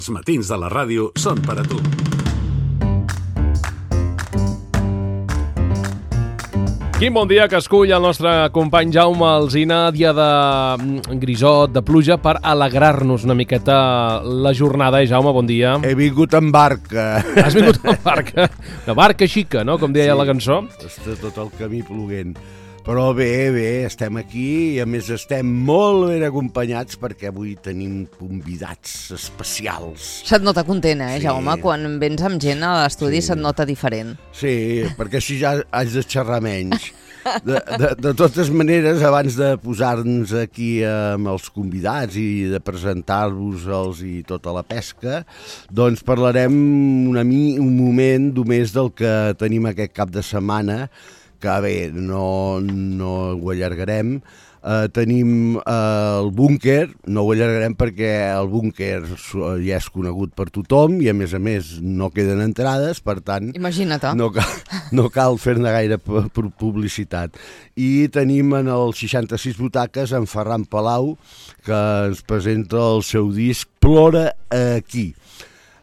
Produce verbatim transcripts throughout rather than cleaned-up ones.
Els matins de la ràdio són per a tu. Quin bon dia que escull el nostre company Jaume Alsina, dia de grisot, de pluja, per alegrar-nos una miqueta la jornada. Eh, Jaume, bon dia. He vingut en barca. Has vingut en barca? Una barca xica, no?, com deia Sí, la cançó. està tot el camí ploguent. Però bé, bé, estem aquí i a més estem molt ben acompanyats perquè avui tenim convidats especials. Se't nota content, eh, Sí. Jaume? Quan vens amb gent a l'estudi Sí. se't nota diferent. Sí, perquè així ja haig de xerrar menys. De, de, de totes maneres, abans de posar-nos aquí amb els convidats i de presentar-vos-els i tota la pesca, doncs parlarem una mi, un moment només del que tenim aquest cap de setmana, que bé, no, no ho allargarem. Uh, tenim uh, el búnquer, no ho allargarem perquè el búnquer ja és conegut per tothom i a més a més no queden entrades, per tant Imagina't. no cal, no cal fer-ne gaire publicitat. I tenim en el seixanta-sis butaques en Ferran Palau, que ens presenta el seu disc Plora aquí.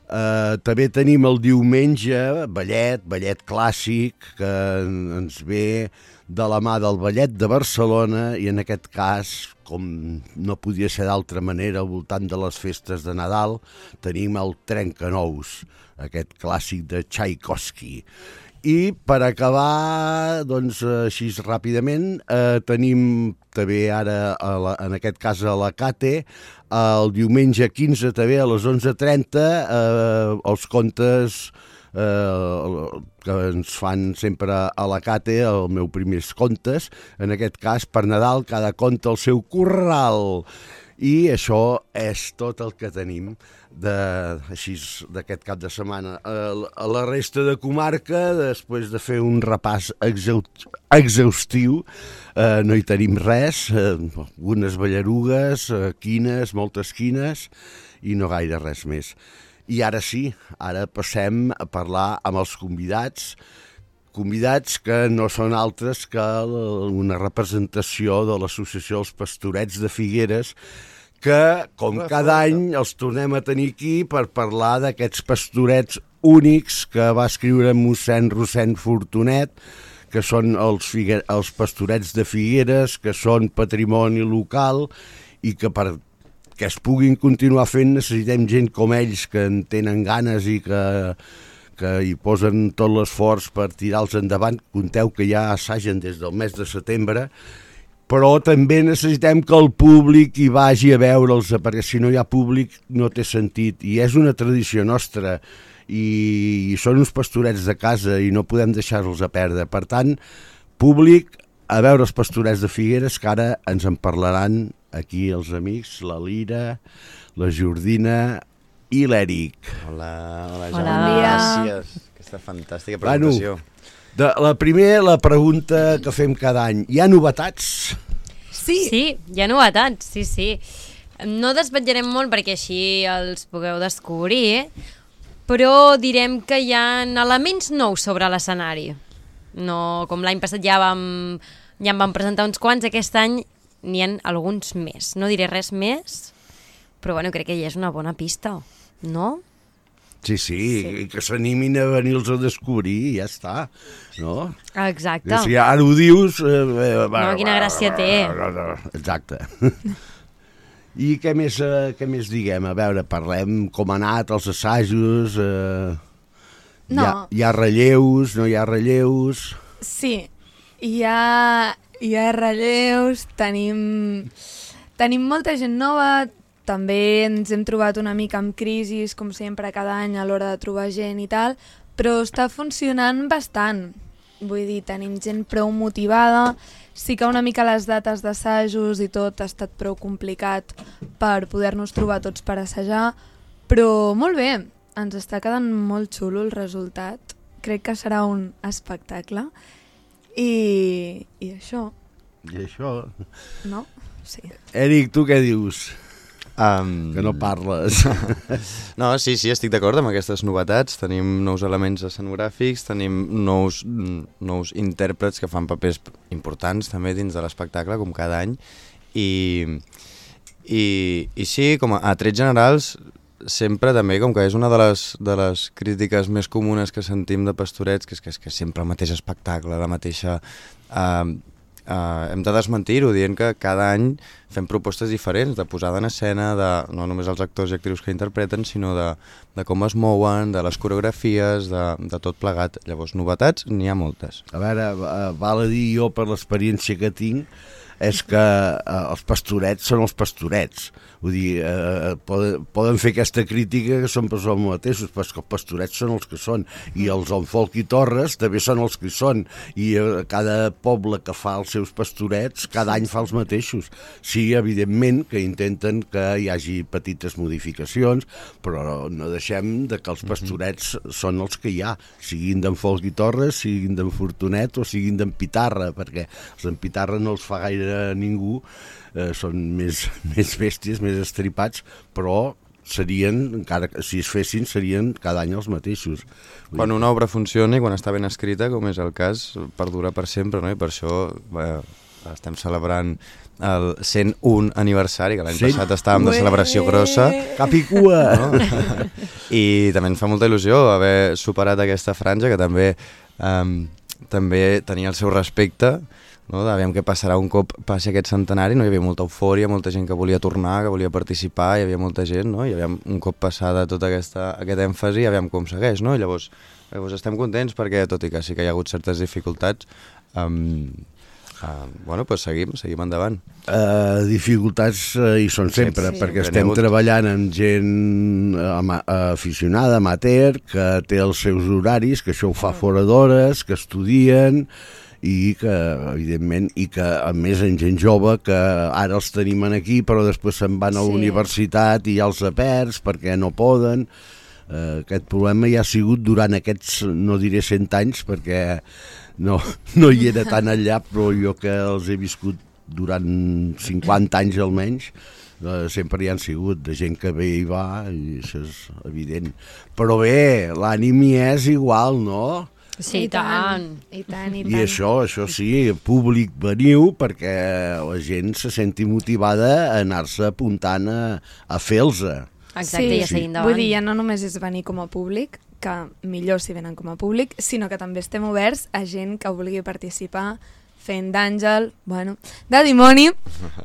Uh, també tenim el diumenge ballet, ballet clàssic, que ens ve de la mà del Ballet de Barcelona i en aquest cas, com no podia ser d'altra manera, al voltant de les festes de Nadal, tenim el Trencanous, aquest clàssic de Tchaikovsky. I per acabar, doncs, així ràpidament, eh, tenim també ara, a la, en aquest cas a la Cate, el diumenge quinze també a les onze trenta, eh, els contes eh, que ens fan sempre a la Cate, el meu primers contes, en aquest cas per Nadal, cada conte al seu corral. I això és tot el que tenim de, així d'aquest cap de setmana. A la resta de comarca, després de fer un repàs exhaustiu, eh, no hi tenim res, eh, algunes ballarugues, eh, quines, moltes quines, i no gaire res més. I ara sí, ara passem a parlar amb els convidats, convidats que no són altres que una representació de l'Associació dels Pastorets de Figueres, que, com cada any, els tornem a tenir aquí per parlar d'aquests pastorets únics que va escriure mossèn Rossend Fortunet, que són els, figue... els pastorets de Figueres, que són patrimoni local i que per que es puguin continuar fent necessitem gent com ells que en tenen ganes i que, que hi posen tot l'esforç per tirar-los endavant. Conteu que ja assagen des del mes de setembre, però també necessitem que el públic hi vagi a veure'ls, perquè si no hi ha públic no té sentit. I és una tradició nostra i, i són uns pastorets de casa i no podem deixar-los a perdre. Per tant, públic, a veure els pastorets de Figueres, que ara ens en parlaran aquí els amics, la Lira, la Jordina i l'Eric. Hola, hola, Hola. Jaume. Bon dia. Gràcies. Aquesta fantàstica presentació. Bueno, de, la primera, la pregunta que fem cada any. Hi ha novetats? Sí. Sí, hi ha novetats, sí, sí. No desvetllarem molt perquè així els pugueu descobrir, però direm que hi ha elements nous sobre l'escenari. No, com l'any passat ja vam, ja en vam presentar uns quants, aquest any n'hi ha alguns més. No diré res més, però bueno, crec que ja és una bona pista, no? Sí, sí, sí. Que s'animin a venir-los a descobrir i ja està, no? Exacte. Si ara ho dius... Eh, eh, no, quina gràcia té. Exacte. I què més, eh, què més diguem? A veure, parlem com ha anat els assajos... Eh, no. Hi ha, hi ha relleus, no hi ha relleus... Sí, hi ha, hi ha relleus, tenim, tenim molta gent nova, també ens hem trobat una mica amb crisis, com sempre, cada any a l'hora de trobar gent i tal, però està funcionant bastant. Vull dir, tenim gent prou motivada, sí que una mica les dates d'assajos i tot ha estat prou complicat per poder-nos trobar tots per assajar, però molt bé, ens està quedant molt xulo el resultat. Crec que serà un espectacle. I, i això. I això... No? Sí. Eric, tu què dius? Um... Que no parles. No, sí, sí, estic d'acord amb aquestes novetats. Tenim nous elements escenogràfics, tenim nous, nous intèrprets que fan papers importants també dins de l'espectacle, com cada any. I, i, i sí, com a, a trets generals, sempre també, com que és una de les, de les crítiques més comunes que sentim de Pastorets, que és que és que sempre el mateix espectacle, la mateixa... Eh, eh, hem de desmentir-ho, dient que cada any fem propostes diferents, de posada en escena, de no només els actors i actrius que interpreten, sinó de, de com es mouen, de les coreografies, de, de tot plegat. Llavors, novetats n'hi ha moltes. A veure, val a dir jo, per l'experiència que tinc, és que eh, els Pastorets són els Pastorets. Vull dir, eh, poden, poden fer aquesta crítica que són per els mateixos, però els Pastorets són els que són, i els Onfolk i Torres també són els que són, i eh, cada poble que fa els seus Pastorets cada any fa els mateixos. Sí, evidentment que intenten que hi hagi petites modificacions, però no deixem de que els Pastorets són els que hi ha, siguin d'en Folc i Torres, siguin d'en Fortunet o siguin d'en Pitarra, perquè els d'en Pitarra no els fa gaire ningú, eh, són més, més bèsties, més estripats, però serien, encara que si es fessin, serien cada any els mateixos. Quan una obra funciona i quan està ben escrita, com és el cas, perdura per sempre, no? I per això bé, estem celebrant el cent un aniversari, que l'any passat estàvem de celebració grossa. Cap i cua! No? I també ens fa molta il·lusió haver superat aquesta franja, que també, um, també tenia el seu respecte, no? Aviam què passarà un cop passi aquest centenari, no? Hi havia molta eufòria, molta gent que volia tornar, que volia participar, hi havia molta gent, no? I aviam, un cop passada tota aquesta, aquest èmfasi, aviam com segueix, no? I llavors, llavors estem contents perquè, tot i que sí que hi ha hagut certes dificultats, um, uh, bueno, doncs seguim, seguim endavant. Uh, dificultats uh, hi són sempre, Sí. perquè Sempre estem n'hi ha hagut. treballant amb gent ama aficionada, amateur, que té els seus horaris, que això ho fa fora d'hores, que estudien, i que, evidentment, i que a més en gent jove que ara els tenim aquí però després se'n van a la Sí. universitat i ja els perds perquè no poden. Eh, aquest problema ja ha sigut durant aquests, no diré cent anys perquè no, no hi era tan allà, però jo que els he viscut durant cinquanta anys almenys, eh, sempre hi han sigut de gent que ve i va, i això és evident. Però bé, l'ànim hi és igual, no? Sí, i tant. I tant, i I tant. això, això sí, públic veniu perquè la gent se senti motivada a anar-se apuntant a, a fer-los-a. Exacte, Sí, i a seguir endavant. Vull dir, ja no només és venir com a públic, que millor si venen com a públic, sinó que també estem oberts a gent que vulgui participar fent d'àngel, bueno, de dimoni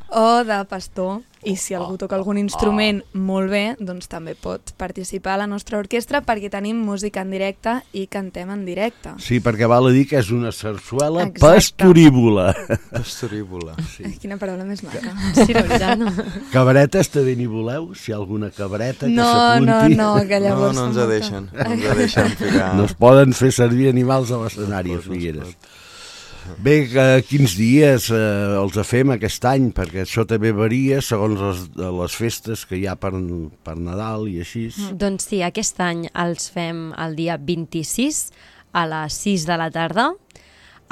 o de pastor. I si algú toca algun instrument molt bé, doncs també pot participar a la nostra orquestra perquè tenim música en directe i cantem en directe. Sí, perquè val a dir que és una sarsuela Exacte. pastorívola. Pastorívola. Sí. Ai, quina paraula més maca. Sí, de veritat, no? Cabretes també n'hi voleu? Si hi ha alguna cabreta que No, no, s'apunti. no, que No, llavors... no ens fa molta- deixen, no ens deixen ficar... No es poden fer servir animals a l'escenari, a Figueres. Bé, eh, quins dies eh, els fem aquest any? Perquè això també varia segons les, les festes que hi ha per, per Nadal i així. Doncs sí, aquest any els fem el dia vint-i-sis a les sis de la tarda,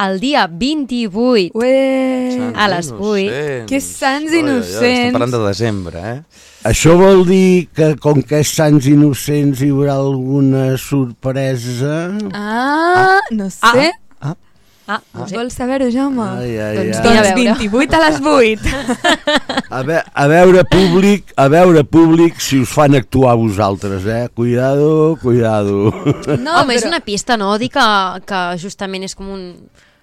el dia vint-i-vuit Ué! a les vuit. Innocents. Que sants Oi, oi, oi, innocents. Estem parlant de desembre, eh? Això vol dir que com que és Sants Innocents hi haurà alguna sorpresa? Ah, no sé. Ah, no sé. Vols saber-ho, Jaume? Ai, ai, Doncs ai. mira, a Doncs veure. vint-i-vuit a les vuit. A, ve a veure públic, a veure públic si us fan actuar vosaltres, eh? Cuidado, cuidado. No, Home, és però- una pista, no? Dir que, que justament és com un...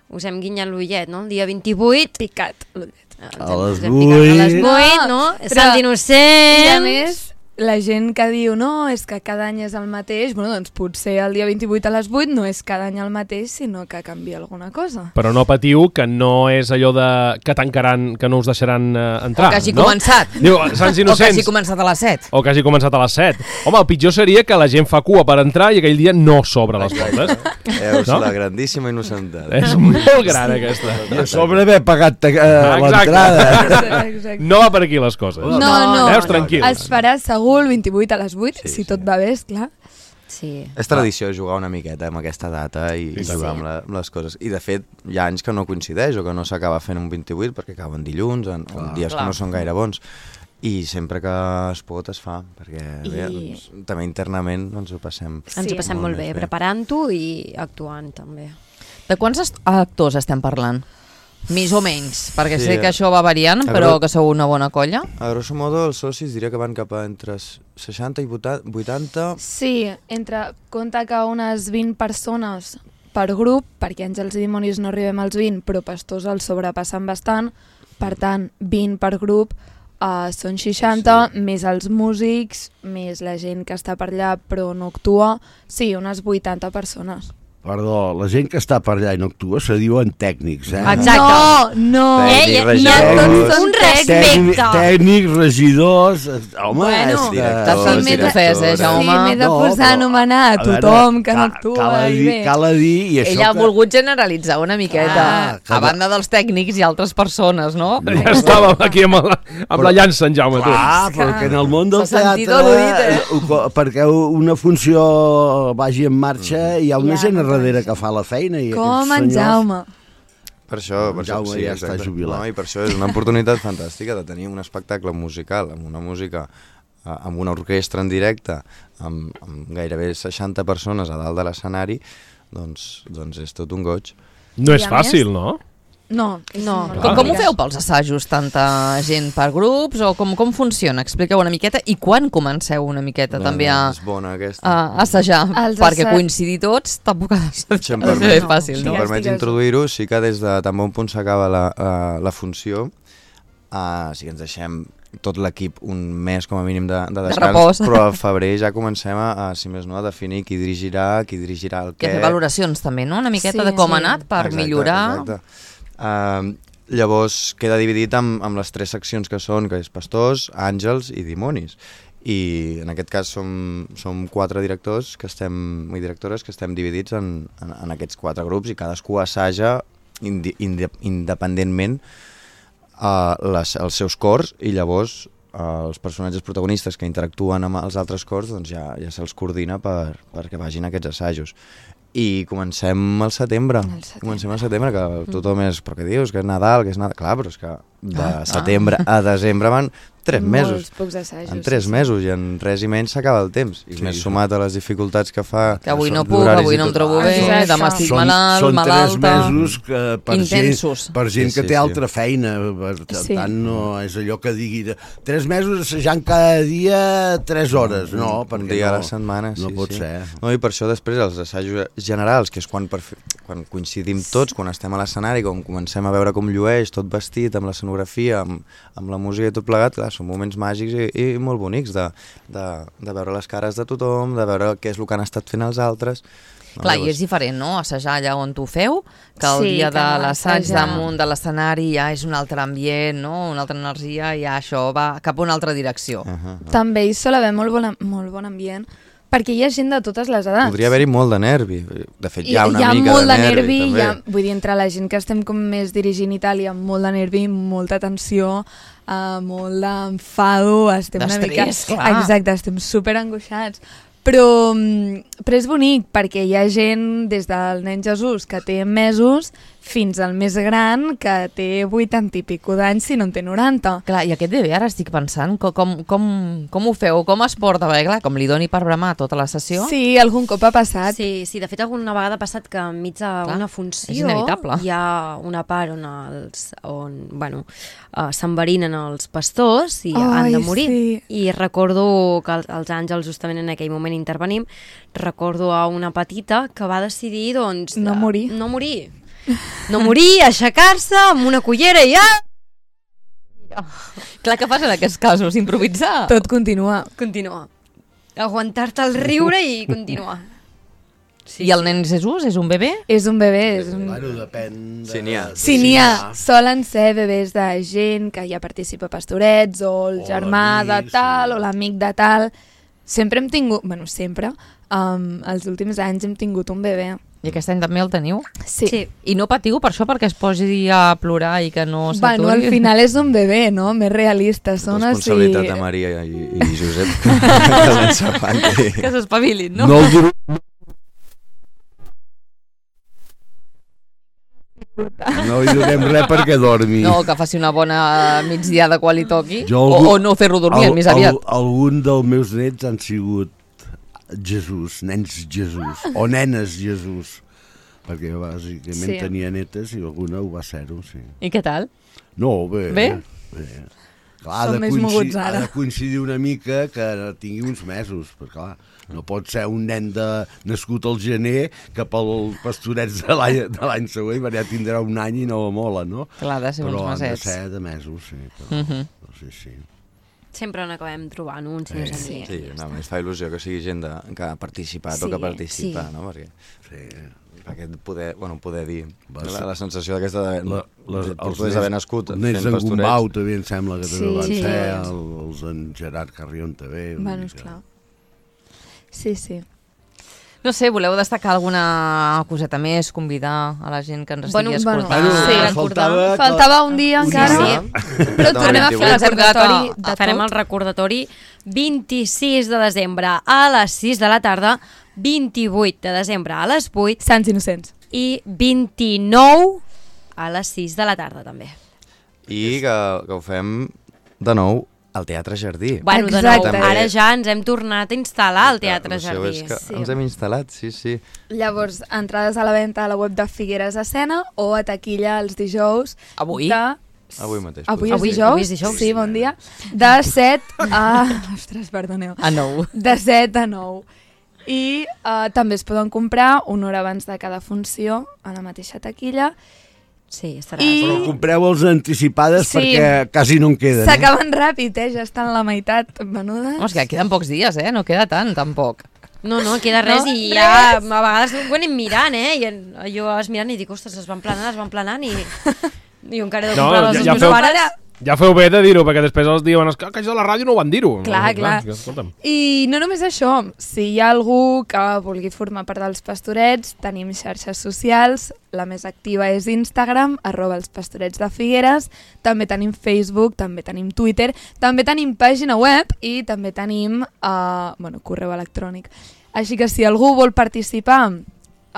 Us hem guinyat l'ullet, no? El dia vint-i-vuit... Picat l'ullet. eh, A les us hem picat A les vuit. vuit, no? No, És però- Sant I a Innocents... més, la gent que diu no, és que cada any és el mateix, bueno, doncs potser el dia vint-i-vuit a les vuit no és cada any el mateix, sinó que canvia alguna cosa. Però no patiu, que no és allò de que tancaran, que no us deixaran eh, entrar, O que hagi no? començat. Diu, Sants O que Innocents. hagi començat a les set. O que hagi començat a les set. Home, el pitjor seria que la gent fa cua per entrar i aquell dia no s'obre les portes. Veus No? la grandíssima innocentat. És molt gran, aquesta. I a sobre haver pagat eh, Exacte. l'entrada. Exacte. No va per aquí les coses. No, no, Veus, tranquil. es farà segur el vint-i-vuit a les vuit, Sí, si sí. tot va bé, esclar. Sí. És tradició jugar una miqueta amb aquesta data i Sí, jugar sí. amb, la, amb les coses. I de fet, hi ha anys que no coincideix o que no s'acaba fent un vint-i-vuit perquè acaben dilluns, en, en dies Clar. que no són gaire bons. I sempre que es pot es fa, perquè I- bé, doncs, també internament ens ho passem. Ens Sí. ho passem Molt molt bé, més bé. preparant-ho i actuant també. De quants est- actors estem parlant? Més o menys, perquè Sí, sé que eh. això va variant, A però veure- que sou una bona colla. A grosso modo, els socis diria que van cap a entre seixanta i vuitanta. Sí, entre, compta que unes vint persones per grup, perquè Àngels i Dimonis no arribem als vint, però Pastors els sobrepassen bastant, per tant, vint per grup, uh, són seixanta, sí. Més els músics, més la gent que està per allà però no actua, sí, unes vuitanta persones. Perdó, la gent que està per allà i no actua se diuen tècnics, eh? Exacte. No, no. Tècnic, Eh, regidors. no, un respecte. Tècnic, tècnics, regidors... Home, Bueno, és que... directors, sí, m'he de- directores. eh, Jaume? Sí, m'he de No, posar però, a anomenar a a veure, tothom que no cal- actua cal a i dir, bé. Cal a dir, i això Ella ha que... volgut generalitzar una miqueta, Ah, que a no- banda dels tècnics i altres persones, no? Ja estàvem aquí amb la, amb la llança, en Jaume, tu. Ah, perquè en el món del S'ha sentit teatre, al·ludit, eh? ho co- perquè una funció vagi en marxa, hi ha una Ja, gent a no darrere penso. que fa la feina. I Com aquests en senyors- Jaume. Per això, per En Jaume això sí, ja està exacte. jubilat. No, I per això és una oportunitat fantàstica de tenir un espectacle musical amb una música, eh, amb una orquestra en directe, amb, amb gairebé seixanta persones a dalt de l'escenari, doncs, doncs és tot un goig. No és I a més- fàcil, no? No, No. molt Com, com ho complicat. feu pels assajos? Tanta gent per grups? O com, com funciona? Expliqueu una miqueta. I quan comenceu una miqueta també a, És bona aquesta. a assajar? Els Perquè assa- coincidir tots tampoc ha de ser, Si em ha de ser permet- fàcil, Si no? em Ja permets estigues- introduir-ho, sí que des de tan bon punt s'acaba la, uh, la funció, uh, sí que ens deixem tot l'equip un mes com a mínim de, de descans, repòs. però al febrer ja comencem a, a, si més no, a definir qui dirigirà, qui dirigirà el I a què. fer valoracions també, no? Una miqueta Sí, de com sí. ha anat per Exacte, millorar. Exacte. Uh, llavors queda dividit amb, amb les tres seccions que són, que és Pastors, Àngels i Dimonis. I en aquest cas som, som quatre directors que estem, i directores que estem dividits en, en, en aquests quatre grups i cadascú assaja indi, indi, independentment uh, les, els seus cors i llavors uh, els personatges protagonistes que interactuen amb els altres cors doncs ja, ja se'ls coordina per, perquè vagin a aquests assajos. I comencem al setembre. Al setembre. Comencem al setembre, que tothom és... Però què dius? Que és Nadal, que és Nadal... Clar, però és que de setembre a desembre van tres mesos. Molts pocs assajos. En tres sí, sí. mesos i en res i menys s'acaba el temps. I Sí. més sumat a les dificultats que fa... Que avui no són puc, d'horaris avui i no em tot. trobo Ah, bé, Exacte. demà estic Són, malalt, són malalta... tres mesos que per Intensos. gent, per gent Sí, que sí, té sí. altra feina. Per Sí. tant, no és allò que digui de, tres mesos assajant cada dia tres hores. No, un perquè dia no, a la setmana, sí, no pot sí. ser. No, i per això després els assajos generals, que és quan, per fi, quan coincidim tots, quan estem a l'escenari, quan comencem a veure com llueix, tot vestit, amb l'escenografia, amb, amb la música i tot plegat, clar, són moments màgics i, i molt bonics de, de, de veure les cares de tothom, de veure què és el que han estat fent els altres. No, Clar, i llavors- és diferent, no?, assajar allà on tu feu, que el Sí, dia que de no l'assaig assajar. damunt de l'escenari ja és un altre ambient, no?, una altra energia, i ja això va cap a una altra direcció. Uh -huh. També hi sol haver molt bon, molt bon ambient, perquè hi ha gent de totes les edats. Podria haver-hi molt de nervi. De fet, I, hi ha una hi ha mica molt de de nervi, nervi, també. hi ha, vull dir, entre la gent que estem com més dirigint i tal, hi ha molt de nervi, molta tensió, uh, molt d'enfado, estem una mica... D'estrès, clar. Exacte, estem super angoixats. Però, mm, però és bonic perquè hi ha gent des del nen Jesús que té mesos fins al més gran que té vuitanta i pico d'anys si no en té noranta. Clar, i aquest bebè ara estic pensant com, com, com, com ho feu, com es porta, perquè clar, com li doni per bramar tota la sessió, Sí, algun cop ha passat. Sí, sí, de fet alguna vegada ha passat que enmig Clar, d'una és funció inevitable. hi ha una part on, els, on bueno, uh, s'enverinen els pastors i han Ai, de morir. sí. I recordo que els, els àngels justament en aquell moment intervenim, recordo a una petita que va decidir doncs, No de- morir. no morir. No morir, aixecar-se amb una cullera i ja clar, què fas en aquests casos? Improvisar? Tot continua. continuar. Aguantar-te el riure i continuar. Sí, I el nen Jesús és un bebè? És un bebè, és un... Bueno, depèn de... Sí, n'hi ha. Sí, n'hi ha. Solen ser bebès de gent que ja participa a Pastorets, o el O germà de l'amic, tal, sí. o l'amic de tal. Sempre hem tingut... Bueno, sempre. Um, els últims anys hem tingut un bebè. I aquest any també el teniu? Sí. Sí. I no patiu per això, perquè es posi a plorar i que no s'aturi? Bueno, al final és un bebè, no? Més realista. Són així... Responsabilitat de Maria i, i Josep que s'ensapanti. Que s'espavilin, no? No el duro... No li donem res perquè dormi. No, que faci una bona migdiada quan li toqui. Jo o, algú- o no fer-lo dormir, Al- més aviat. al- Algun dels meus nets han sigut Jesús, nens Jesús, o nenes Jesús. perquè bàsicament Sí. tenia netes i alguna ho va ser-ho, sí. I què tal? No, bé. Bé? bé. Clar, ha Som de més coinci- moguts ara. Ha de coincidir una mica que tingui uns mesos, perquè clar, no pot ser un nen de, nascut al gener que pel pastorets de l'any de l'any següent ja tindrà un any i no mola, no? Clar, ha de ser Però uns han de mesets. ser de mesos, sí. Però, Mhm. però sí, sí. Sempre n'acabem trobant uns, si no és a mi. Sí, no, a més fa il·lusió que sigui gent de, que ha participat Sí, o que participa, sí. no? Perquè, sí. perquè poder, bueno, poder dir Va, la, sí. la sensació d'aquesta de, La, les, de, de poder haver nascut els nens fent d'en pastorets. Gombau també em sembla que també Sí. van Sí. ser, el, els d'en Gerard Carrion també. una Bueno, mica. esclar. Sí, sí. No sé, voleu destacar alguna coseta més, convidar a la gent que ens estigui Bueno, escoltant? Bueno, Sí, eh, recordar. faltava, que- Faltava un dia un encara, dia. però tornem a fer el Ens hem quedat recordatori a- de Farem tot. el recordatori vint-i-sis de desembre a les sis de la tarda, vint-i-vuit de desembre a les vuit Sants Innocents. i vint-i-nou a les sis de la tarda també. I que, que ho fem de nou al Teatre Jardí. Bueno, de Exacte. nou, ara ja ens hem tornat a instal·lar al Teatre L'opció Jardí. és que Sí. ens hem instal·lat, sí, sí. Llavors, entrades a la venda a la web de Figueres Escena o a taquilla els dijous Avui? de... Avui mateix. Avui, podria és Avui- ser. dijous? avui és dijous. Sí, bon dia. De set a... Ostres, perdoneu. A nou. De set a nou. I uh, també es poden comprar una hora abans de cada funció a la mateixa taquilla. Sí, estarà. I- Però compreu-los anticipades Sí. perquè quasi no en queden. Eh? S'acaben ràpid, eh? Ja estan la meitat venudes. Home, és que queden pocs dies, eh? No queda tant, tampoc. No, no, queda res No? i ja a vegades ho anem mirant, eh? I en- jo vas mirant i dic, ostres, es van planant, es van planant i... I jo encara he de No, comprar ja- les ja meus feu- pares. Ja feu bé de dir-ho, perquè després els diuen que aquells de la ràdio no ho van dir-ho. Clar, no, clar. és que, escolta'm. I no només això, si hi ha algú que vulgui formar part dels Pastorets, tenim xarxes socials, la més activa és Instagram, arroba els Pastorets de Figueres, també tenim Facebook, també tenim Twitter, també tenim pàgina web i també tenim uh, bueno, correu electrònic. Així que si algú vol participar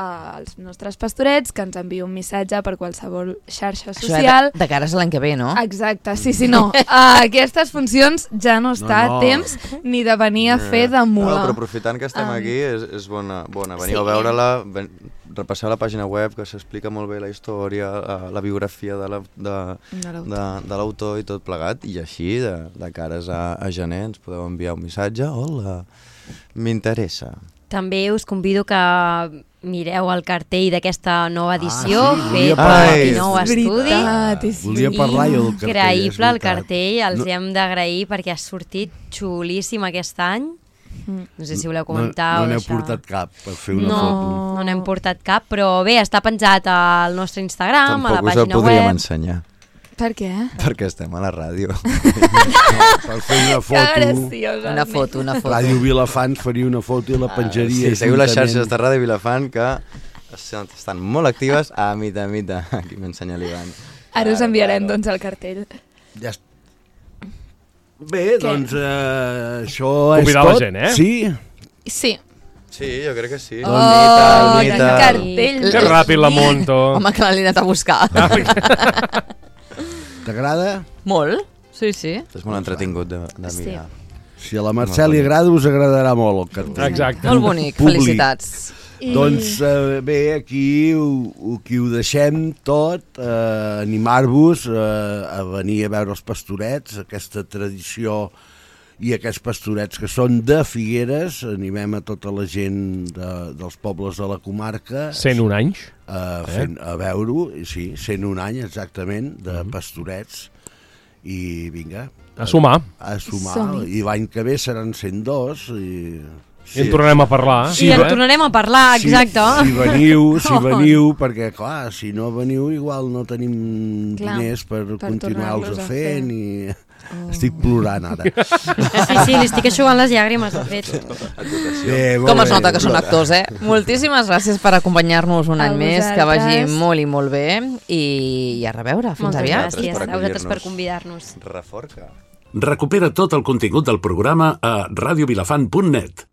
als nostres pastorets, que ens enviï un missatge per qualsevol xarxa Això social. de, de cares a l'any que ve, no? Exacte, sí, sí, no. Uh, aquestes funcions ja no està No, no. a temps ni de venir a fer de No, mula. però aprofitant que estem Um, aquí, és, és bona, bona. Veniu sí. a veure-la, ven- repasseu la pàgina web, que s'explica molt bé la història, la, la biografia de la- de- De l'autor. de de l'autor i tot plegat, i així, de, de cares a, a gener, ens podeu enviar un missatge. Hola, m'interessa. També us convido que mireu el cartell d'aquesta nova edició, Ah, sí, fet volia per parlar. el nou És estudi. veritat, és Volia parlar jo del cartell, és Increïble el veritat. cartell, els No- no. hem d'agrair perquè ha sortit xulíssim aquest any. No sé si voleu No, comentar no o n'heu deixar. portat cap per fer una no, foto. no n'hem portat cap, però bé, està penjat al nostre Instagram, a la Tampoc us el pàgina podríem web. ensenyar, Per què? perquè estem a la ràdio. Per fer una Que foto, graciosa. Una foto, una foto. Ràdio Vilafant faria una foto i la penjaria. Sí, seguiu les juntament. xarxes de Ràdio Vilafant, que estan molt actives. A mita, a mita. Aquí m'ensenya l'Ivan. Ara us enviarem, doncs, el cartell. Ja est- Bé, doncs eh, això Convidar és la tot. gent, eh? Sí. Sí. Sí, jo crec que sí. Oh, Mita, quin mita. cartell. Que ràpid la monto. Home, que l'he anat a buscar. T'agrada? Molt, sí, sí. És molt entretingut de, de Sí. mirar. Si a la Mercè li agrada, us agradarà molt el cartell. Exacte. Molt bonic, Públic. felicitats. I... Doncs eh, bé, aquí ho, ho, aquí ho deixem tot, eh, animar-vos eh, a venir a veure els pastorets, aquesta tradició i aquests pastorets que són de Figueres, animem a tota la gent de, dels pobles de la comarca cent un anys. a, fent, a veure-ho, i sí, cent un any exactament, de pastorets, i vinga, A sumar. a sumar, Som-hi. i l'any que ve seran cent dos, i... I en tornarem a parlar. Sí, I en eh? tornarem a parlar, exacte. Si, si veniu, si veniu, perquè clar, si no veniu igual no tenim Clar, diners per, per continuar-los tornar-los a a fer, fer. ni... Oh. Estic plorant ara. Sí, sí, li estic aixugant les llàgrimes, de fet. Bé, molt Com es bé. nota que són actors, eh? Moltíssimes gràcies per acompanyar-nos un A any més, que vagi vosaltres. molt i molt bé, i, i a reveure, fins Moltes aviat. gràcies per a vosaltres per acollir-nos. convidar-nos. Reforca. Recupera tot el contingut del programa a radiovilafant punt net.